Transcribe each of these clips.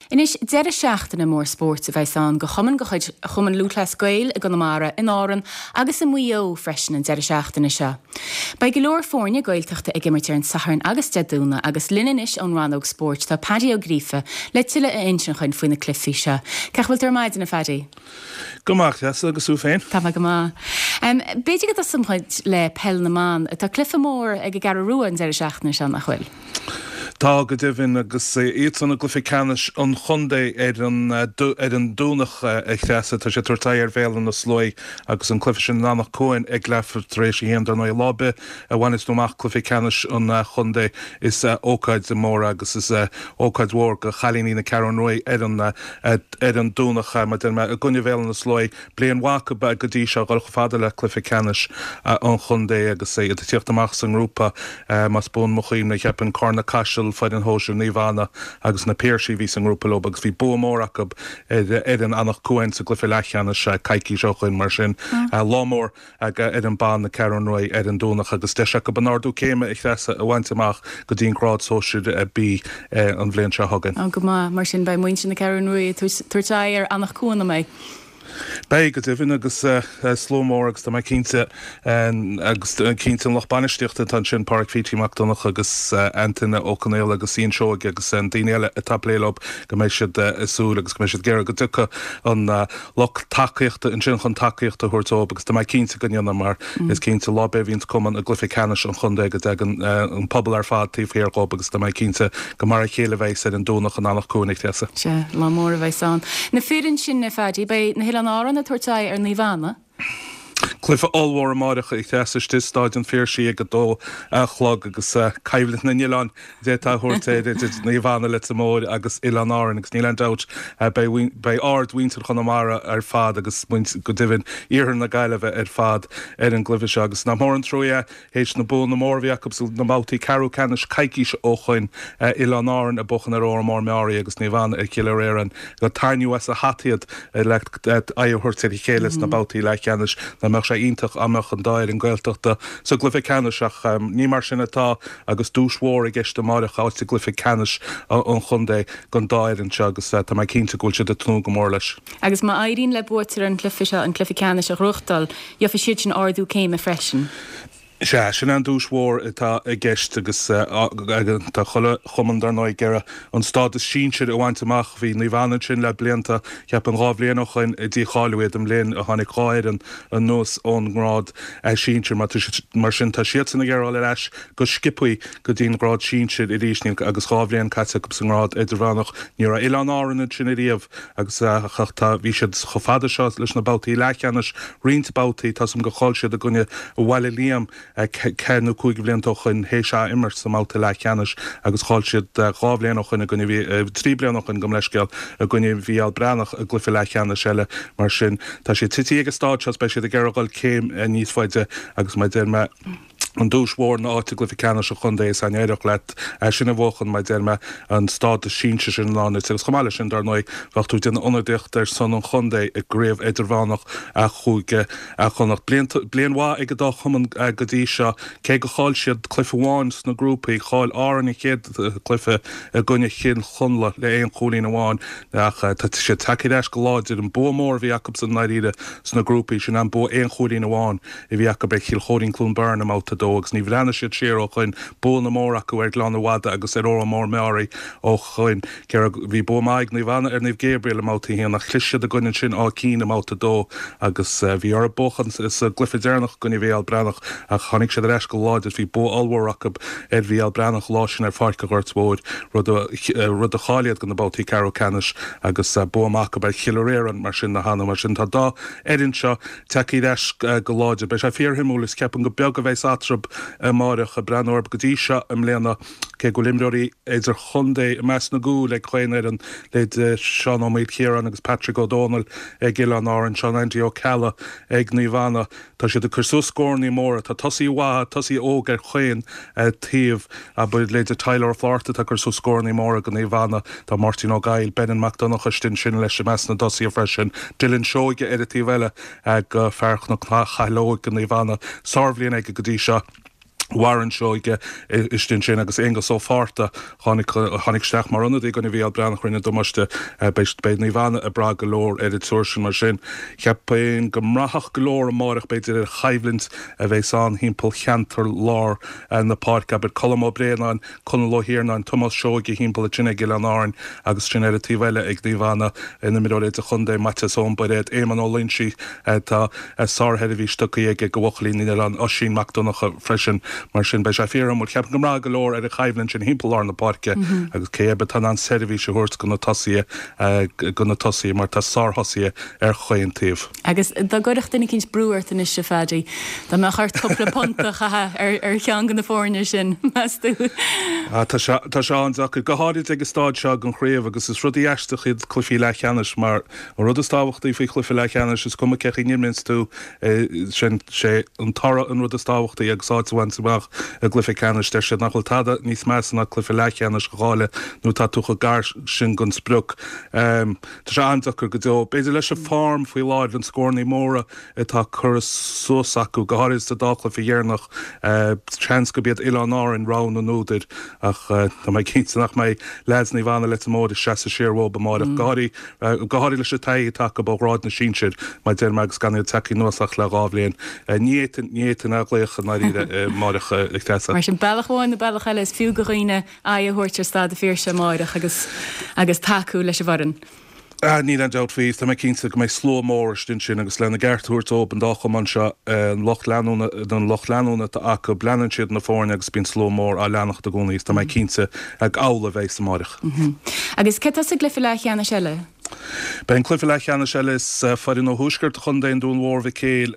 Anois, deireadh seachtaine mór spóirt a bheas ann do chumainn de chuid Chumann Lúthchleas Gael i gConamara, in Árann agus i Maigh Eo freisin an deireadh seachtaine seo. Beidh go leor foirne Gaeltachta ag imirt ar an Satharn agus Dé Domhnaigh agus linn anois ón rannóg spóirt tá Paddy Ó Gríofa le tuilleadh a insint dhuinn faoi na cluichí seo. Cén chaoi a bhfuil tú ar maidin, a Phaddy? Go maith, a Threasa, agus thú féin? Tá mé go maith. B'fhéidir go dtosóidh muid le peil na mban. Tá cluiche mór ag an gCeathrú Rua an deireadh seachtaine seo, nach bhfuil? Tá, go deimhin, agus iadsan i gcluiche ceannais an chontae ar an ar an Domhnach, a Threasa. Tá siad ag tabhairt aghaidh ar Bhéal Átha na Sluaighe agus an cluiche sin in Anach Cuain ag leathuair tar éis a haon. Dar ndóigh, lá ar bith a bhaineas tú amach cluiche ceannais an chontae is ócáid mhór agus is ócáid mhór do chailíní na Ceathrún Ruaidh ar an ar an Domhnach, mar a deir mé, i gcoinne Bhéal Átha na Sluaighe. Bliain mhaith acu go dtí seo, dhul chomh fada le cluiche ceannais an chontae agus iad ag tíocht amach sa ngrúpa, más buan mo chuimhne, cheapfainn, Carna Caiseal, foireann shóisir Naomh Anna agus na Piarsaigh a bhí sa ngrúpa leo agus bhí bua mór acu ar fhoireann Anach Cuain sa gcluiche leathcheannais coicís ó shoin. Mar sin, lá mór ag fhoireann ban na Ceathrún Ruaidh ar an Domhnach agus deis acu an ardú céime a Threasa a bhaint amach go dtí an grád sóisir B an bhliain seo chugainn. Go maith, mar sin beidh muintir na Ceathrún Ruaidh ag tabhairt aghaidh ar Anach Cuain, an mbeidh? Beidh, go deimhin, agus slua mór agus tá mé cinnte agus cinnte an lucht bainistíochta atá ansin, Páraic Phítí Mac Donncha agus Antaine Ó Conaola agus Ian Seoige agus an daoine eile atá ag plé leo go mbeidh siad ag súil agus go mbeidh siad ag iarraidh go dtiocfaidh an lucht tacaíochta ansin chun tacaíocht a thabhairt dóibh agus tá mé cinnte go ndéanfaidh mar is cinnte lá ar bith a bhíonns cumann i gcluiche ceannais an chontae go dtagann an pobal ar fad taobh thiar dhóibh agus tá mé cinnte go mar a chéile a bheas ar an Domhnach in Anach Cuain a Threasa. Sea, lá mór a bheas ann. Na fir ansin, a Phaddy, beidh na hOileáin Árann ag tabhairt aghaidh ar Naomh Anna. Cluiche ollmhór amáireach a Threasa istigh i Stáid an Phiarsaigh ag 2 a chlog agus coimhlint na n-oileán d'fhéadfá a thabhairt air idir Naomh Anna Leitir Móir agus Oileáin Árann agus níl aon dabht beidh beidh aird mhuintir Chonamara ar fad agus go deimhin iarthar na Gaillimhe ar fad ar an gcluiche seo agus nach mór an trua é théis na buanna móra a bhí acu sna babhtaí ceathrú ceannais coicís ó shoin, Oileáin Árann ag buachan ar Órán Mór Meáraí agus Naomh Anna ar Chill Fhear gur tarraingíodh as a hata iad le aghaidh a thabhairt ar a chéile sna babhtaí leathcheannais. Nach mbeadh sé iontach dá mbeadh an dá fhoireann Gaeltachta sa gcluiche ceannais ach ní mar sin atá agus duais mhór i gceist amáireach, áit i gcluiche ceannais an chontae don dá fhoireann seo agus tá mé cinnte go bhfuil siad ag tnúth go mór leis. Agus má éiríonn le buaiteoir an chluiche seo an cluiche ceannais a ghnóthachtáil, Gheobhaidh siad sin ardú céime freisin. Sea, sin an duais mhór atá i gceist agus tá chuile chumann dar ndóigh ag iarraidh an stádas sinsir a bhaint amach. Bhí Naomh Anna ansin le blianta, cheapfainn 2 bhliain ó shoin a dícháiliú iad, an bhliain a tháinig 2 fhoireann anuas ón ngrád sinsir. Mar sin tá siadsan ag iarraidh dul ar ais go sciobthaí go dtí an grád sinsir arís agus 2 bhliain caite acu sa ngrád idirmheánach. Ní raibh Oileáin Árann ansin ariamh. Agus ach tá, bhí siad chomh fada seo leis na babhtaí leathcheannais, roinnt babhtaí, tá 's agam gur chaill siad i gcoinne Bhaile Liam ceathair nó cúig bhlianta ó shoin, théis ath-imirt sa mbabhta leathcheannais agus chaill siad 2 bhliain ó shoin i gcoinne, 3 bliana ó shoin, gabh mo leithscéal, i gcoinne Mhícheál Breathnach i gcluiche leathcheannais eile. Mar sin, tá siad tití ag an stáid seo is beidh siad ag iarraidh dhul céim níos faide agus mar a deir mé, an duais mhór ná áit i gcluiche ceannais an chontae is an éireodh leat é sin a bhuachan, mar a deir mé, an stádas sinsir sin i ndán duit. Agus chomh maith leis sin, dar ndóigh, bheadh tú ag déanamh ionadaíocht ar son an chontae i gcraobh idirmheánach Chúige Chonnacht. Bliain mhaith ag an dá chumann go dtí seo, cé gur chaill siad cluiche amháin sna grúpaí. Chaill Árainn an chéad chluiche i gcoinne Chill Chonla le aon chúilín amháin ach tá siad tagtha ar ais go láidir. An bua mór a bhí acu i ndáiríre sna grúpaí, sin an bua aon chúilín amháin. a bhí acu ar Chill Chóirín Cluain Bheirn i mbabhta 2 agus ní bhreathnaigh siad siar ó shoin. Buanna móra acu ar Ghleann na Madadh agus ar Órán Mór Meáraí ó shoin. Cé raibh, bhí bua maith ag Naomh Anna ar Naomh Gabriel i mbabhta 1 ach chlis siad i gcoinne ansin Áth Cinn i mbabhta 2 agus bhí orthu buachan sa gcluiche deireanach i gcoinne Mhícheál Breathnach ach tháinig siad ar ais go láidir. Bhí bua ollmhór acu ar Mhícheál Breathnach an lá sin ar Pháirc an Ghoirt Mhóir, rud a rud a cháiligh iad do na babhtaí ceathrú ceannais agus bua maith acu ar Chill Fhear mar sin cheana. Mar sin tá dá fhoireann seo Tagtha ar ais go láidir. Beidh sé fíorshuimiúil is ceapaim gur beag a bheas eatarthu amáireach. Ag breathnú orthu go dtí seo i mbliana, cé go bhfuil imreoirí idirchontae i measc na gcúl ag chaon fhoireann, leithéid Seán Ó Maoilchiaráin agus Patrick Ó Dónaill ag Oileáin Árann, Seán Andy Ó Ceallaigh ag Naomh Anna, tá siad ag cur suas scórannaí móra. Tá tosaithe mhaithe, tosaithe óga ar chaon taobh. Abair, leithéid Tyler Ó Flátharta atá ag cur suas scórannaí móra do Naomh Anna. Tá Máirtín Ó Gaill, Brendan Mac Donncha istigh ansin leis i measc na dtosaithe freisin. Dylan Seoige ar an taobh eile do fear Chnoc Chathail Óig do Naomh Anna. Sárbhliain aige go dtí seo. Warren Seoige istigh ansin agus Aonghus Ó Fátharta tháinig tháinig isteach mar ionadaí i gcoinne Mhícheál Breathnach rinne damáiste. Beidh beidh Naomh Anna ag brath go leor ar an triúr sin mar sin. Cheapfainn go mbraithfeadh go leor amáireach b'fhéidir ar choimhlint a bheas ann thimpeall cheantar lár na páirce, abair Colm Ó Braonáin, Conall Ó hIarnáin, Tomás Seoige thimpeall ansin ag Oileáin Árainn agus sin ar an taobh eile ag Naomh Anna na himreoirí idirchontae, Maitias Eoin Bairéad, Éamonn Ó Loingsigh, tá sársheirbhís tugtha aige do bhuachaillí na nOileán, Oisín Mac Donncha freisin. Mar sin beidh sé fíorshuimiúil. Cheapfainn go mbraithfidh go leor ar an choimhlint sin thimpeall lár na páirce agus cé acu atá in ann seirbhís a thabhairt do na tosaithe, do na tosaithe mar tá sárthosaithe ar chaon taobh. Agus dá gcuirfeadh duine eicínt brú ort anois, a Phaddy, dá mbeadh ort cúpla punt a chaitheamh ar cheann de na foirne sin, meas tú? Tá sé, tá sé an-deacair, go háirid ag an staid seo den chraobh agus is rudaí aisteach iad cluichí leathcheannais mar an rud is tábhachtaí faoi chluiche leathcheannais, is cuma cé chaoi n-imríonns tú, sin sé an toradh an rud is tábhachtaí agus áit a bhaint amach i gcluiche ceannais. Deir siad nach bhfuil tada níos measa ná cluiche leathcheannais a chailleadh nuair atá tú chomh gar sin don sprioc. Tá sé an-deacair go deo. B'fhéidir leis an form faoi láthair, an scórannaí móra atá curtha suas acu, go háirithe sa dá chluiche dheireanach, seans gurb iad Oileáin Árainn rogha na n-údar ach tá mé cinnte nach mbeidh leaids Naomh Anna Leitir Móir ag seasamh siar uathu amáireach, go háirithe go háirithe leis an taithí atá acu ó ghrád na sinsear, mar a deir mé, agus gan iad tagtha anuas ach le dhá bhliain. Ní fhéadfainn, ní fhéadfainn a ghlaoch i ndáiríre amáireach, a Threasa. Mar sin, bealach amháin nó bealach eile, is fiú do dhaoine aghaidh a thabhairt ar Staid an Phiarsaigh amáireach agus agus tacú leis an bhfoireann. Ah, níl aon dabht faoi, tá mé cinnte go mbeidh slua mór istigh ansin agus lena gceart a thabhairt dóibh, an dá chumann seo, an lucht leanúna, an lucht leanúna atá acu, leanann siad na foirne agus bíonn slua mór á leanacht i gcónaí agus tá mé cinnte gur amhlaidh a bheas amáireach. Agus cé tá sa gcluiche leathcheannais eile? Beidh an cluiche leathcheannais eile, is foireann ó thuaisceart an chontae, an Dún Mhór Mhic Éil,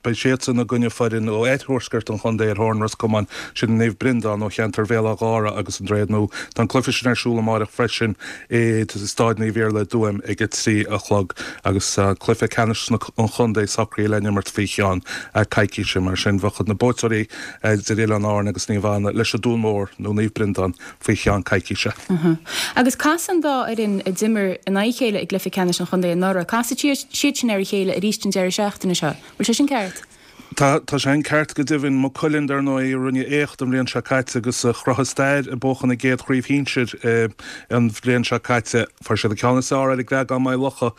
beidh siadsan i gcoinne foireann ó oirthuaisceart an chontae ar thóir an Ros Comáin, sin Naomh Breandán ó cheantar Bhéal Átha Ghártha agus an Droichead Nua. Tá an cluiche sin ar siúl amáireach freisin i Stáid Naomh Iarlaith i dTuaim ag 3 a chlog agus cluiche ceannais an chontae socraithe le n-imirt faoi cheann coicíse. Mar sin bheadh na buaiteoirí idir Oileáin Árann agus Naomh Anna leis an Dún Mór nó Naomh Breandán faoi cheann coicíse. Agus casfaidh an dá fhoireann a d'imir in aghaidh a chéile i gcluiche ceannais an chontae anuraidh, casfaidh siad sin ar a chéile arís an deireadh seachtaine seo. Bhfuil sé sin ceart? Tá, tá sé sin ceart go deimhin. Maigh Cuilinn, dar ndóigh, a rinne éacht an bhliain seo caite agus a chruthaigh stair ag buachan a gcéad chraobh shinsir an bhliain seo caite. Fuair siad an ceann is fearr ar an gCreagán Maigh Locha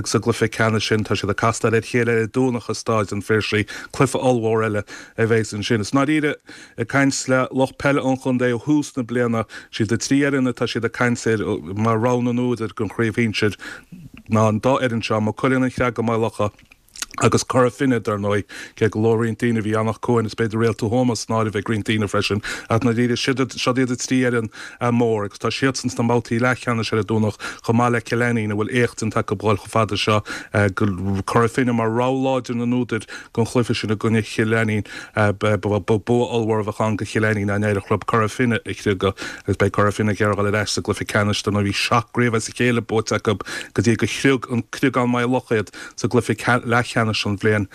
sa gcluiche ceannais sin. Tá siad ag castáil ar a chéile ar an Domhnach i Stáid an Phiarsaigh. Cluiche ollmhór eile a bheas ansin. Is i ndáiríre, Ag caint le lucht peile an chontae ó thús na bliana, siad na trí fhoireann atá siad ag caint air mar rogha na n-údar don chraobh shinsir ná an dá fhoireann seo, Maigh Cuilinn, An Creagán Maigh Locha agus Cora Finne, dar ndóigh, cé go luadh roinnt daoine, bhí Anach Cuain is b'fhéidir Réalta Thuama san áireamh ag roinnt daoine freisin, ach i ndáiríre, siad iad na trí fhoireann mór agus tá siadsan sna babhtaí leathcheannais ar an Domhnach chomh maith le Cill Ainnín a bhfuil éacht déanta acu dhul chomh fada seo go Cora Finne mar rogha láidir na n-údar don chluiche sin i gcoinne Chill Ainnín. Ba bua ollmhór a bheadh ann do Chill Ainnín dá n-éireodh leo Cora Finne a chriogadh agus beidh Cora Finne ag iarraidh dul ar ais sa gcluiche ceannais dar ndóigh bhí seacht gcraobh as a chéile buaite acu go dtí go chriog an Creagán Maigh Locha iad sa gcluiche leathcheannais an bhliain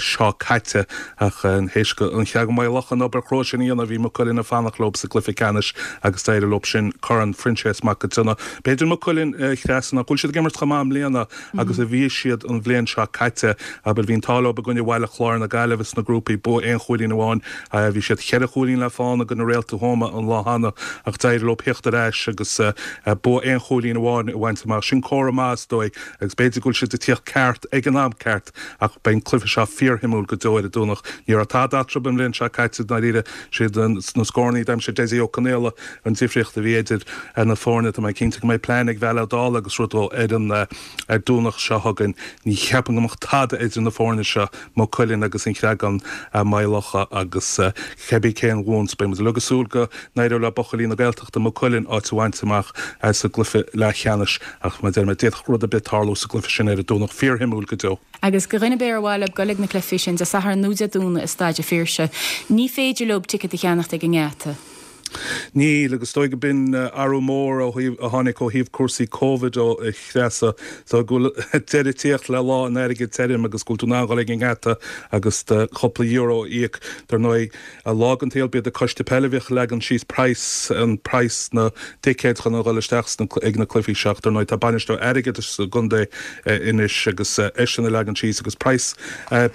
seo caite ach théis do An Creagán Maigh Locha an obair chrua sin a dhéanamh bhí Maigh Cuilinn ag fanacht leo sa gcluiche ceannais agus d'éirigh leo sin Corn Phroinséas Mac an tSionnaigh. B'fhéidir Maigh Cuilinn a Threasa nach bhfuil siad ag imirt chomh maith i mbliana agus a bhí siad an bhliain seo caite. Abair, bhí an t-ádh leo i gcoinne Bhaile Chláir na Gaillimhe sna grúpaí, bua aon chúilín amháin. Bhí siad cheithre chúilín le fána i gcoinne Réalta Thuama an lá cheana ach d'éirigh leo theacht ar ais agus bua aon chúilín amháin a bhaint amach. Sin comhartha maith is dóigh agus b'fhéidir go bhfuil siad ag tíocht ceart ag an am ceart ach beidh an cluiche seo fíorshuimiúil go deo ar an Domhnach. Ní raibh tada eatarthu an bhliain seo caite, i ndáiríre. Siad na scórannaí a d'aimsigh Dessie Ó Conaola an difríocht a bhí idir na foirne. Tá mé cinnte go mbeidh plean ag Val Ó Dálaigh agus rud ar an ar Domhnach seo chugainn. Ní cheapaim go mbeadh tada idir na foirne seo, Maigh Cuilinn agus An Creagán, Maigh Locha agus cébí cén bhuann. Beidh muid uilig ag súil go n-éireoidh le buachaillí na Gaeltachta, Maigh Cuilinn, áit a bhaint amach sa gcluiche leathcheannais ach mar a deir mé, d'fhéadfadh rud ar bith tarlú sa gcluiche sin ar an Domhnach. Fíorshuimiúil go deo. Agus do dhuine ar bith ar mhaith leo dul ag na cluichí sin Dé Sathairn nó Dé Domhnaigh i Staid a' Phiarsaigh, ní féidir leo ticéad a cheannacht ag an ngeata. Níl, agus is dóigh go b'in athrú mór ó thaobh, a tháinig ó thaobh cúrsaí Covid ó a Threasa, so go bhfuil deireadh ag tíocht le lá an airgid tirim agus go bhfuil tú in ann dhul ag an ngeata agus do chúpla euro a íoc. Dar ndóigh, lá den tsaol b'iad an coiste peile a bhíodh ag leagan síos praghas, an praghas na dticéad chun a dhul isteach sna, ag na cluichí seo ach dar ndóigh tá bainisteoir airgeadais sa gcontae anois agus eisean ag leagan síos agus praghas,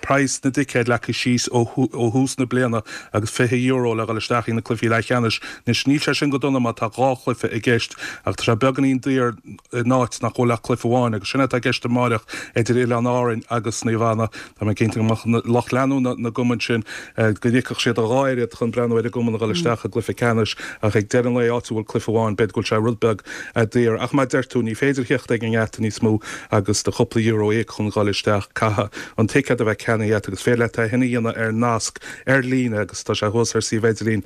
praghas na dticéad leagtha síos ó thús na bliana agus €20 le dhul isteach ag na cluichí leathcheannais. Anois, níl sé sin go dona má tá dhá chluiche i gceist, ach tá sé beagáinín daor in áit nach bhfuil ach cluiche amháin, agus sin atá i gceist amáireach idir Oileáin Árainn agus Naomh Anna. Tá mé cinnte go mbeadh lucht leanúna na gcumann sin, go n-íocfadh siad a dhá oiread chun breathnú ar a gcumann a dhul isteach i gcluiche ceannais, ach ag deireadh an lae, áit a bhfuil cluiche amháin, b'fhéidir go bhfuil sé rud beag daor. Ach mar a deir tú, ní féidir a theacht ag an ngeata níos mó agus do chúpla euro a íoc chun dhul isteach. Caithfidh an ticéad a bheith ceannaithe agat agus féidir leat é sin a dhéanamh ar nasc ar líne agus tá sé thuas ar suíomh idirlín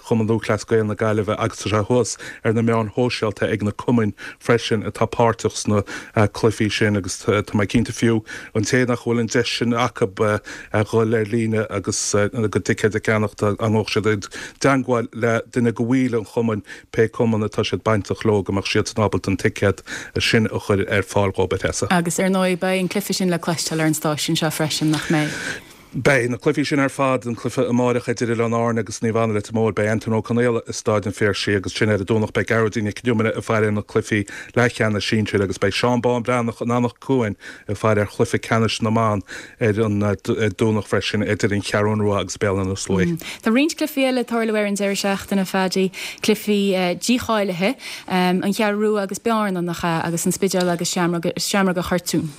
Chumann Lúthchleas Gael na Gaillimhe agus tá sé thuas ar na meáin shóisialta ag na cumainn freisin atá páirteach sna cluichí sin agus tá mé cinnte fiú an té nach bhfuil an deis sin acu a dhul ar líne agus a gcuid ticéad a cheannach dá ngabhfadh siad i dteangmháil le duine de bhaill an chumainn pé cumann atá siad bainteach leo, go mbeadh siadsan ábalta an ticéad sin a chur ar fáil dhóibh, a Threasa. Agus ar ndóigh beidh an cluiche sin le cloisteáil ar an stáisiún seo freisin, nach mbeidh? Beidh na cluichí sin ar fad, an cluiche amáireach idir Oileáin Árann agus Naomh Anna Leitir Móir, beidh Antaine Ó Conaola i Stáid an Phiarsaigh agus ansin ar an Domhnach beidh Gearóidín Nic Con Iomaire ag faire ar na cluichí leathcheannais sinsir agus beidh Seán Bán Breathnach in Anach Cuain ag faire ar chluiche ceannais na mban ar an Domhnach freisin idir an Cheathrún Rua agus Béal Átha na Sluaighe. Tá roinnt cluichí eile ag tarlú ar an deireadh seachtaine, Phaddy, cluichí dícháilithe, an Cheathrú Rua agus Bearna, nach ea, agus an Spidéal agus Seamróga Chortúin.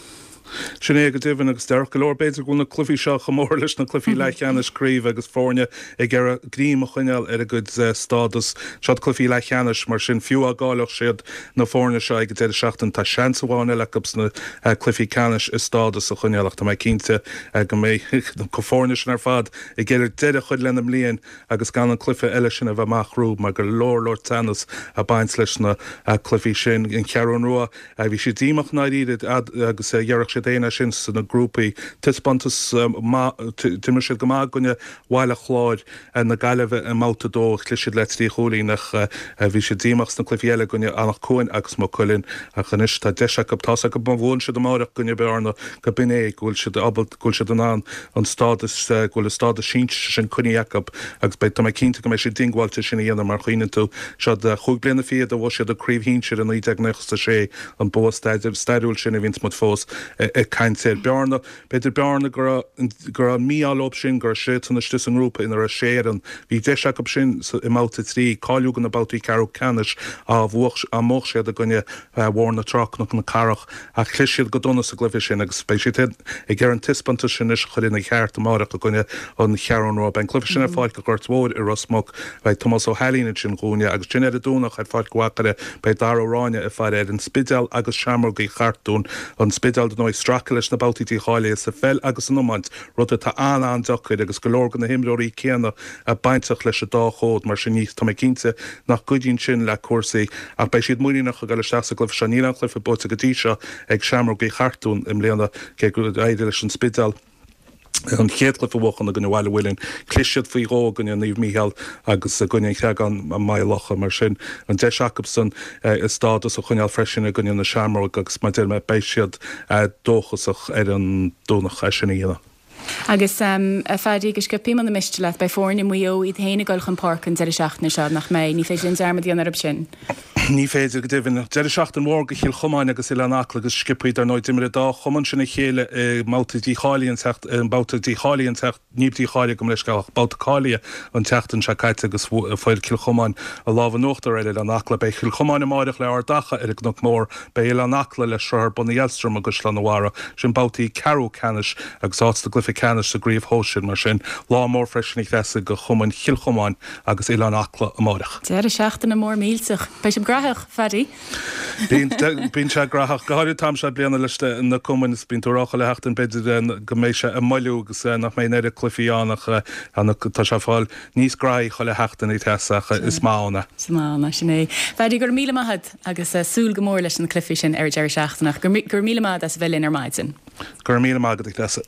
Sin é go deimhin, agus déarfadh go leor b'fhéidir go bhfuil na cluichí seo chomh mór leis na cluichí leathcheannais craoibhe agus foirne ag iarraidh greim a choinneáil ar a gcuid stádas. Seod cluichí leathcheannais, mar sin fiú dá gcaillfeadh siad na foirne seo ag an deireadh seachtaine tá seans amháin eile acu sna cluichí ceannais a stádas a choinneáil ach tá mé cinnte go mbeidh na foirne sin ar fad ag iarraidh deireadh a chur lena mbliain agus gan an cluiche eile sin a bheith amach rompu mar go leor leor teannas ag baint leis na cluichí sin. An Cheathrún Rua. Bhí siad díomách i ndáiríre agus déarfadh siad féin é sin sna grúpaí. Taispeántas maith, d'imir siad go maith i gcoinne Bhaile Chláir na Gaillimhe i mbabhta 2, chlis siad le 3 chúilín ach bhí siad díomách sna cluichí eile i gcoinne Anach Cuain agus Maigh Cuilinn. Ach anois tá deis acu, tá's acu má bhuann siad amáireach i gcoinne Bearna go b'in é, go bhfuil siad ábalta, go bhfuil siad in ann an stádas, go bhfuil an stádas sinsir sin coinnithe acu agus beidh, tá mé cinnte go mbeidh siad diongbháilte sin a dhéanamh mar chuimhníonn tú, seod chúig bliana fichead a bhuaigh siad an craobh shinsir i 1996, an bua stairiúil sin a bhíonns muid fós ag caint air. Bearna, b'fhéidir Bearna go raibh, go raibh an mí-ádh leo sin go raibh siadsan istigh sa ngrúpa ina raibh sé fhoireann. Bhí deis acu sin i mbabhta 3 cáiliú do na babhtaí ceathrú ceannais dá mbuafadh, dá mbuafadh siad i gcoinne Bhóthar na Trá, Cnoc na Cathrach. Ach chlis siad go dona sa gcluiche sin agus beidh siad ag iarraidh an taispeántas sin anois a chur ina cheart amárach i gcoinne an Cheathrún Rua. Beidh an cluiche sin ar Pháirc an Ghoirt Mhóir i Ros Muc. Beidh Tomás Ó hAilín ansin dhúinne agus ansin ar an Domhnach ar Pháirc an Mhachaire beidh Dara Ó Ráinne ag faire ar an Spidéal agus Seamrógaí Chartúin. An Spidéal dar ndóigh ag stracadh leis na babhtaí dícháilithe sa pheil agus san iomáint, rud atá an-an-deacair agus go leor de na himreoirí céanna bainteach leis an dá chód, mar sin ní, tá mé cinnte nach gcuidíonn sin le cúrsaí ach beidh siad muiníneach ag dul isteach sa gcluiche seo. Níl aon chluiche buaite go dtí seo ag Seamrógaí Chartúin i mbliana, cé gur éirigh leis an Spidéal an chéad chluiche a bhuachan i gcoinne Bhaile Mhuilinn. Chlis siad faoi dhó i gcoinne Naomh Mícheál agus i gcoinne an Chreagáin i Maigh Locha. Mar sin, an deis acusan a stádas a choinneáil freisin i gcoinne na Seamróg agus mar a deir mé, beidh siad dóchasach ar an Domhnach é sin a dhéanamh. Agus, a Phaddy, go sciobtha muna miste leat, beidh foirne Mhaigh Eo iad féin ag dul chun páirce an deireadh seachtaine seo, nach mbeidh? Ní féidir linn dearmad a dhéanamh orthu sin. Ní féidir, go deimhin. Deireadh seachtaine mhór do Chill Chomáin agus Oileán Acla agus sciobtha, dar ndóigh, d'imir an dá chumann sin a chéile i mbabhta dícháilithe an tseacht, i mbabhta dícháilithe an tseacht, ní dícháilithe gabh mo leithscéal ach babhta cáilithe an tseachtain seo caite agus fuair Cill Chomáin an lámh in uachtar ar Oileán Acla. Beidh Cill Chomáin amáireach le Ard Acha ar an gCnoc Mór. Beidh Oileán Acla le Sruth ar Bun na Aelstrom i gCaisleán an Bharraigh. Sin babhtaí ceathrú ceannais agus áit sa gcluiche ceannais sa gcraobh shóisir. Mar sin, lá mór freisin a Threasa do chumainn Chill Chomáin agus Oileán Acla amáireach. Deireadh seachtaine mór millteach. Beidh sibh graitheach, Phaddy. Bíonn, bíonn sé graitheach. Go háirithe an t-am seo bliana leis na cumainn is bíonn tú ag rá chuile sheachtain b'fhéidir go mbeidh sé ag moilliú agus nach mbeidh an oiread cluichí ann ach tá sé ag fáil níos graithí chuile sheachtain a Threasa ach is maith ann é. Is maith ann é, sin é. Phaddy, go raibh míle maith agat agus súil go mór leis na cluichí sin ar an deireadh seachtaine ach go raibh míle maith agat as a bheith linn ar maidin. Go raibh míle maith agat a Threasa.